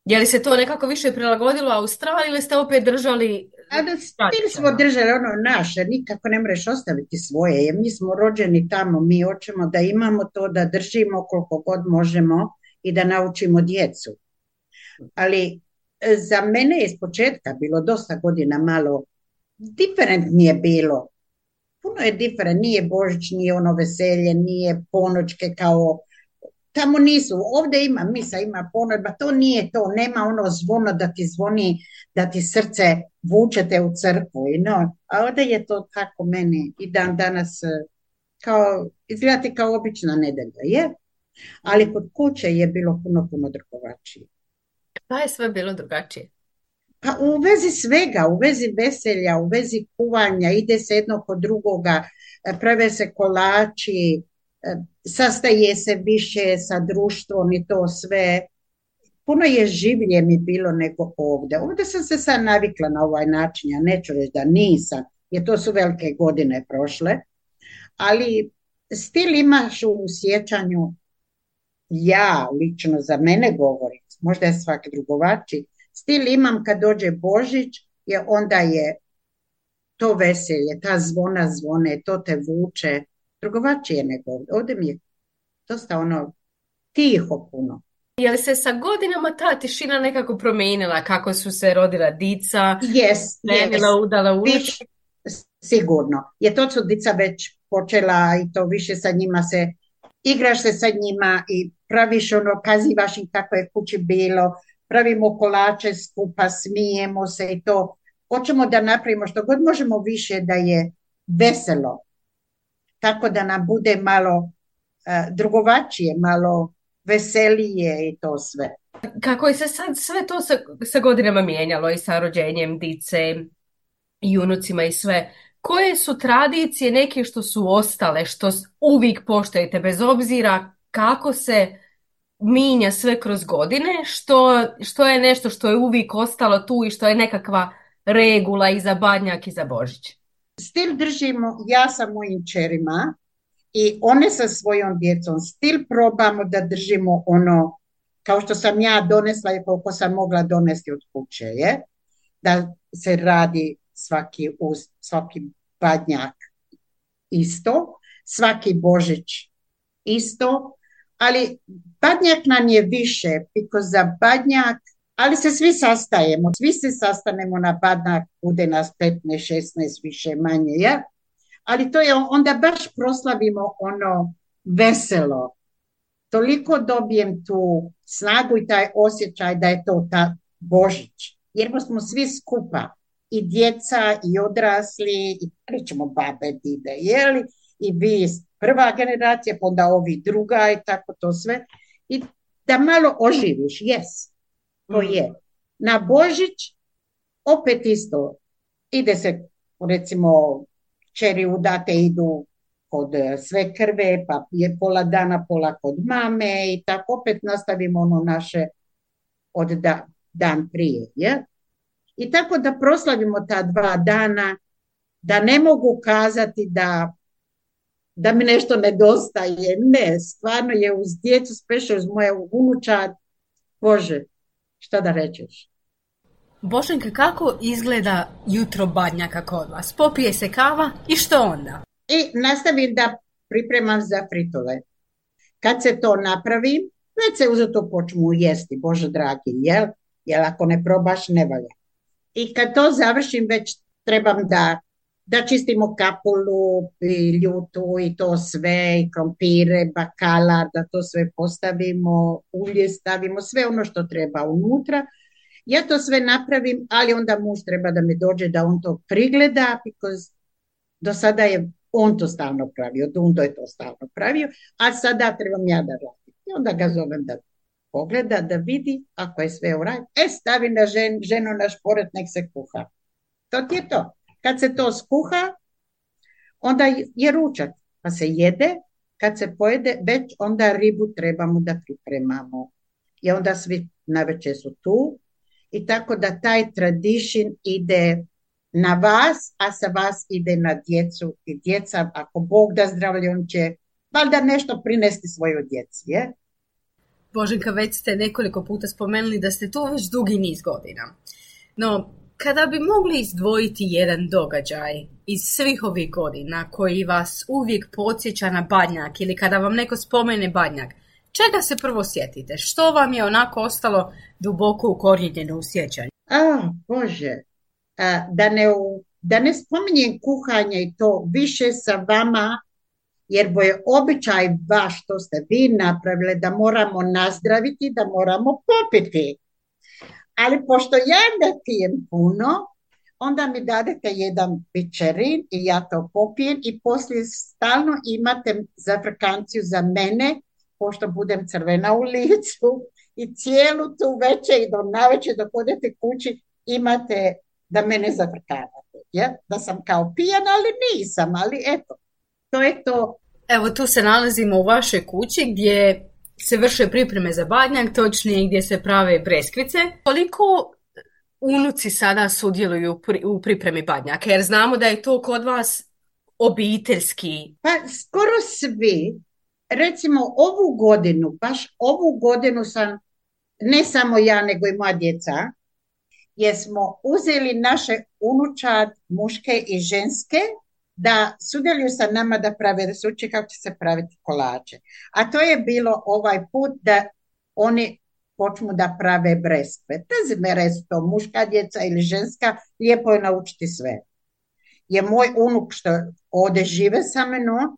Je li se to nekako više prilagodilo Australiji ili ste opet držali... Stil smo držali ono naše, nikako ne možeš ostaviti svoje, jer mi smo rođeni tamo, mi hoćemo da imamo to, da držimo koliko god možemo i da naučimo djecu. Ali za mene je iz početka bilo dosta godina malo diferent nije bilo. Puno je diferent, nije Božić, nije ono veselje, nije ponoćke kao tamo nisu, ovdje ima misa, ima ponoć, to nije to, nema ono zvono da ti zvoni, da ti srce vučete u crkvu, a ovdje je to tako meni i dan danas kao, izgledati kao obična nedelja, je? Ali kod kuće je bilo puno drugačije. Pa je sve bilo drugačije? Pa u vezi svega, u vezi veselja, u vezi kuvanja, ide se jedno kod drugoga, prave se kolači, sastaje se više sa društvom i to sve. Puno je življe mi bilo nego ovdje. Ovdje sam se sad navikla na ovaj način, ja neću reći da nisam, jer to su velike godine prošle, ali stil imaš u sjećanju, ja lično za mene govorim, možda je svaki drugovači, stil imam kad dođe Božić, jer onda je to veselje, ta zvona zvone, to te vuče, drugovačije nego ovdje. Ovdje mi je dosta ono tiho puno. Je li se sa godinama ta tišina nekako promijenila, kako su se rodila dica, udala ulič? Sigurno. Je to su dica već počela i to više sa njima se, igraš se sa njima i praviš ono, kazivaš im kako je kući bilo, pravimo kolače skupa, smijemo se i to. Hoćemo da napravimo što god možemo više da je veselo. Tako da nam bude malo drugovačije, malo veselije i to sve. Kako je se sad sve to sa godinama mijenjalo i sa rođenjem dice i unucima i sve, koje su tradicije neke što su ostale, što uvijek poštujete bez obzira kako se mijenja sve kroz godine, što je nešto što je uvijek ostalo tu i što je nekakva regula i za Badnjak i za Božić? Stil držimo ja sa mojim čerima i one sa svojom djecom. Stil probamo da držimo ono kao što sam ja donesla i koliko sam mogla donesti od kuće, je? Da se radi svaki Badnjak isto, svaki Božić isto, ali Badnjak nam je više, because za Badnjak, ali se svi sastajemo, svi se sastanemo na Badnjak, bude nas 15, 16, više manje, ja? Ali to je, onda baš proslavimo ono veselo. Toliko dobijem tu snagu i taj osjećaj da je to ta Božić. Jer smo svi skupa, i djeca, i odrasli, i pričamo babe, dide, jeli, i vi prva generacija, pa onda ovi druga i tako to sve. I da malo oživiš, to je. Na Božić opet isto, ide se, recimo, čeri udate idu kod sve krve, pa je pola dana, pola kod mame i tako opet nastavimo ono naše od dan prije. Je? I tako da proslavimo ta 2 dana, da ne mogu kazati da mi nešto nedostaje. Ne, stvarno je uz djecu, specijalno uz moje unučad, Bože, šta da rečeš? Boženka, kako izgleda jutro Badnjaka kod vas? Popije se kava i što onda? I nastavim da pripremam za fritole. Kad se to napravi, već se uzeto počnu jesti, Bože dragi, jel? Jer ako ne probaš, ne valja. I kad to završim, već trebam da čistimo kapulu, i ljutu i to sve, i krompire, bakalar, da to sve postavimo, ulje stavimo, sve ono što treba unutra. Ja to sve napravim, ali onda muž treba da mi dođe da on to prigleda, because do sada je on to stalno pravio, Dundo je to stalno pravio, a sada trebam ja da radim. I onda ga zovem da pogleda, da vidi, ako je sve u redu, stavi na ženu na šporet, nek se kuha. To ti je to. Kad se to skuha, onda je ručak, pa se jede, kad se pojede, već onda ribu trebamo da pripremamo. I onda svi navečer su tu, i tako da taj tradition ide na vas, a sa vas ide na djecu. I djeca, ako Bog da zdravlje, on će valjda nešto prinesti svojoj djeci. Je? Boženka, već ste nekoliko puta spomenuli da ste tu već dugi niz godina. No, kada bi mogli izdvojiti jedan događaj iz svih ovih godina koji vas uvijek podsjeća na Badnjak, ili kada vam neko spomene Badnjak, čega se prvo sjetite? Što vam je onako ostalo duboko ukorijenjeno u sjećanju? Bože, da ne spominjem kuhanje i to više sa vama, jer bo je običaj vaš, što ste vi napravili, da moramo nazdraviti, da moramo popiti. Ali pošto ja ne pijem puno, onda mi dadete jedan pičerin i ja to popijem i poslije stalno imate zafrkanciju za mene, pošto budem crvena u licu i cijelu tu večer i do navečer dok odete kući imate da mene zafrkavate. Ja? Da sam kao pijana, ali nisam, ali eto, to je to. Evo, tu se nalazimo u vašoj kući gdje se vrše pripreme za Badnjak, točnije gdje se prave breskvice. Koliko unuci sada sudjeluju u pripremi Badnjaka? Jer znamo da je to kod vas obiteljski. Pa skoro svi. Recimo baš ovu godinu sam, ne samo ja, nego i moja djeca, jer smo uzeli naše unučad, muške i ženske, da sudjeluju sa nama da prave resuče kako će se praviti kolače. A to je bilo ovaj put da oni počnu da prave breskve. Doesn't matter su to muška djeca ili ženska, lijepo je naučiti sve. Je moj unuk što ovdje žive sa mnom,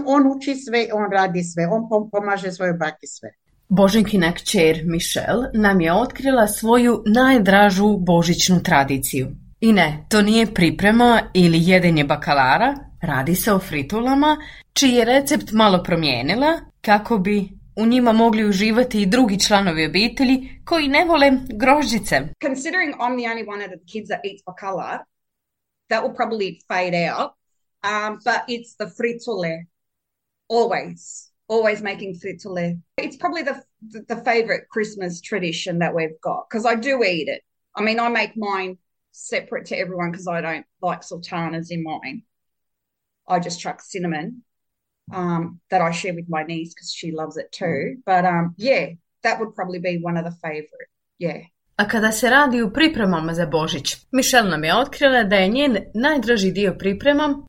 on uči sve, on radi sve, on pomaže svojoj baki sve. Boženkina kćer Michelle nam je otkrila svoju najdražu božićnu tradiciju. I ne, to nije priprema ili jedenje bakalara, radi se o fritulama, čiji je recept malo promijenila kako bi u njima mogli uživati i drugi članovi obitelji koji ne vole grožđice. Considering I'm the only one of the kids that eats bakalar, that will probably fade out, but it's the fritule, always making fritule. It's probably the favorite Christmas tradition that we've got, because I do eat it. I mean, I make mine separate to everyone because I don't like sultanas in mine. I just chuck cinnamon that I share with my niece because she loves it too. But yeah, that would probably be one of the favorite. Yeah. A kada se radi u pripremama za Božić, Michelle nam je otkrila da je njen najdraži dio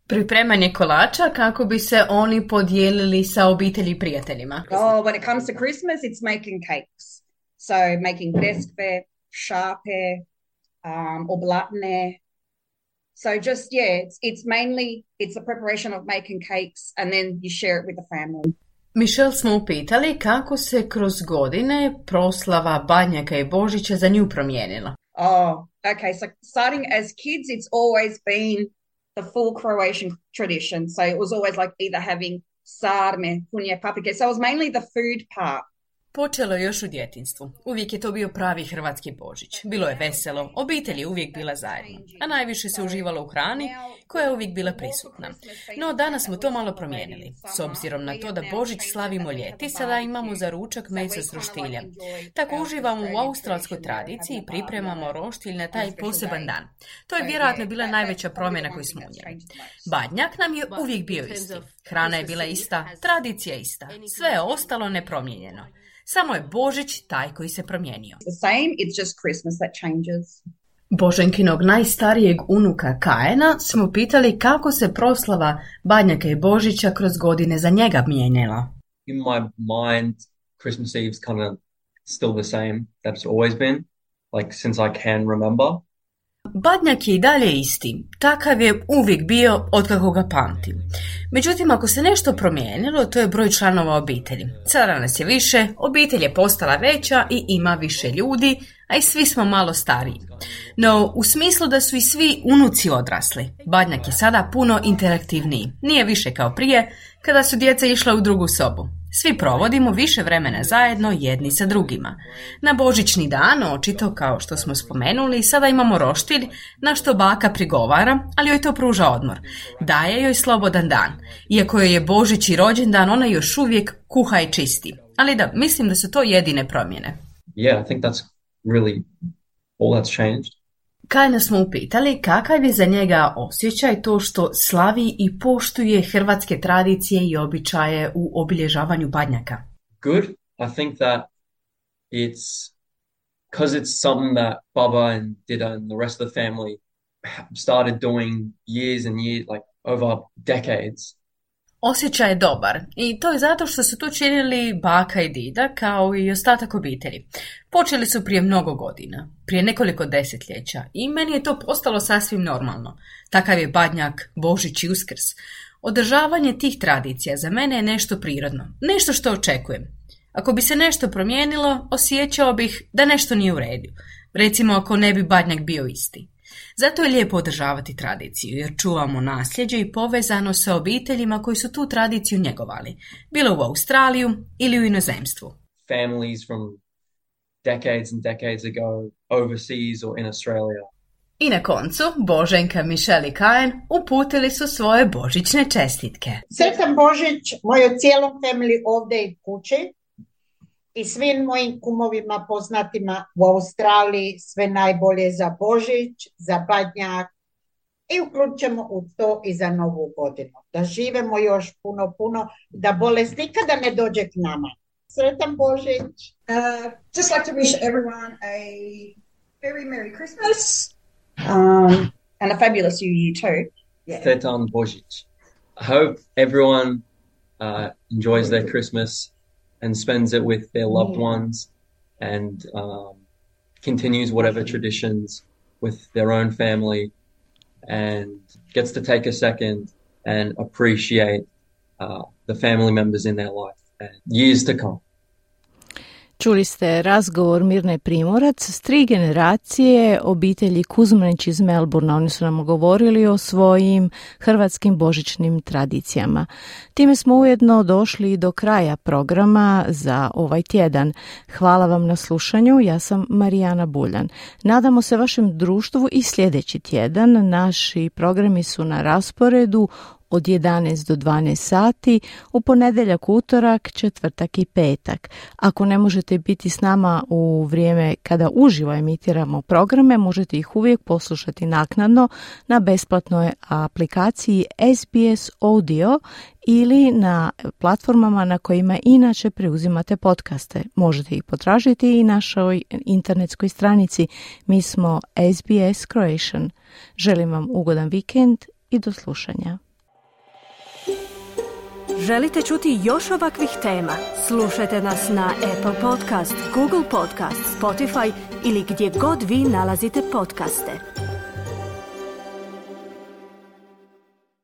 pripremanje kolača kako bi se oni podijelili sa obitelji i prijateljima. When it comes to Christmas, it's making cakes. So making breskve, šape, oblatne. So just, it's mainly, it's the preparation of making cakes and then you share it with the family. Michelle smo upitali kako se kroz godine proslava Badnjaka i Božića za nju promijenila. Okay, so starting as kids, it's always been the full Croatian tradition. So it was always like either having sarme, punje, papike. So it was mainly the food part. Počelo je još u djetinjstvu. Uvijek je to bio pravi hrvatski Božić. Bilo je veselo, obitelj je uvijek bila zajedno, a najviše se uživalo u hrani koja je uvijek bila prisutna. No danas smo to malo promijenili. S obzirom na to da Božić slavimo ljeti, sada imamo za ručak meso s roštiljem. Tako uživamo u australskoj tradiciji i pripremamo roštilj na taj poseban dan. To je vjerojatno bila najveća promjena koju smo unijeli. Badnjak nam je uvijek bio isti. Hrana je bila ista, tradicija ista. Sve je ostalo nepromijenjeno. Samo je Božić taj koji se promijenio. Boženkinog najstarijeg unuka Kaena smo pitali kako se proslava Badnjaka i Božića kroz godine za njega mijenjala. In my mind, Christmas Eve's kind of still the same that it's always been, like since I can remember. Badnjak je i dalje isti. Takav je uvijek bio otkako ga pamtim. Međutim, ako se nešto promijenilo, to je broj članova obitelji. Sada nas je više, obitelj je postala veća i ima više ljudi, a i svi smo malo stariji. No, u smislu da su i svi unuci odrasli. Badnjak je sada puno interaktivniji. Nije više kao prije, kada su djeca išla u drugu sobu. Svi provodimo više vremena zajedno jedni sa drugima. Na Božićni dan, očito kao što smo spomenuli, sada imamo roštilj na što baka prigovara, ali joj to pruža odmor. Daje joj slobodan dan. Iako joj je Božić i rođendan, ona još uvijek kuha i čisti. Ali da, mislim da su to jedine promjene. Yeah, I think that's really all that's changed. Kajna smo upitali kakav je za njega osjećaj to što slavi i poštuje hrvatske tradicije i običaje u obilježavanju Badnjaka. Good. I think that it's because it's something that Baba and Dida and the rest of the family started doing years and years, like over decades. Osjećaj je dobar i to je zato što su to činili baka i dida kao i ostatak obitelji. Počeli su prije mnogo godina, prije nekoliko desetljeća i meni je to postalo sasvim normalno. Takav je Badnjak, Božić i Uskrs. Održavanje tih tradicija za mene je nešto prirodno, nešto što očekujem. Ako bi se nešto promijenilo, osjećao bih da nešto nije u redu. Recimo ako ne bi Badnjak bio isti. Zato je lijepo održavati tradiciju, jer čuvamo nasljeđe i povezano sa obiteljima koji su tu tradiciju njegovali, bilo u Australiju ili u inozemstvu. Families from decades and decades ago overseas or in Australia. I na koncu, Boženka, Michelle i Kajen uputili su svoje božićne čestitke. Sretan Božić mojoj cijelom family ovdje i kući i svim mojim kumovima poznatima u Australiji, sve najbolje za Božić, za Badnjak i uključujemo u to i za Novu godinu. Da živimo još puno, da bolest nikada ne dođe k nama. Sretan Božić! Just like to wish everyone a very Merry Christmas and a fabulous New Year too. Yeah. Sretan Božić. I hope everyone enjoys their Christmas and spends it with their loved ones and continues whatever traditions with their own family and gets to take a second and appreciate the family members in their life and years to come. Čuli ste razgovor Mirne Primorac s 3 generacije obitelji Kuzmanić iz Melbourna. Oni su nam govorili o svojim hrvatskim božićnim tradicijama. Time smo ujedno došli do kraja programa za ovaj tjedan. Hvala vam na slušanju. Ja sam Marijana Buljan. Nadamo se vašem društvu i sljedeći tjedan. Naši programi su na rasporedu od 11 do 12 sati, u ponedjeljak, utorak, četvrtak i petak. Ako ne možete biti s nama u vrijeme kada uživo emitiramo programe, možete ih uvijek poslušati naknadno na besplatnoj aplikaciji SBS Audio ili na platformama na kojima inače preuzimate podcaste. Možete ih potražiti i na našoj internetskoj stranici. Mi smo SBS Croatian. Želim vam ugodan vikend i do slušanja. Želite čuti još ovakvih tema? Slušajte nas na Apple Podcast, Google Podcast, Spotify ili gdje god vi nalazite podcaste.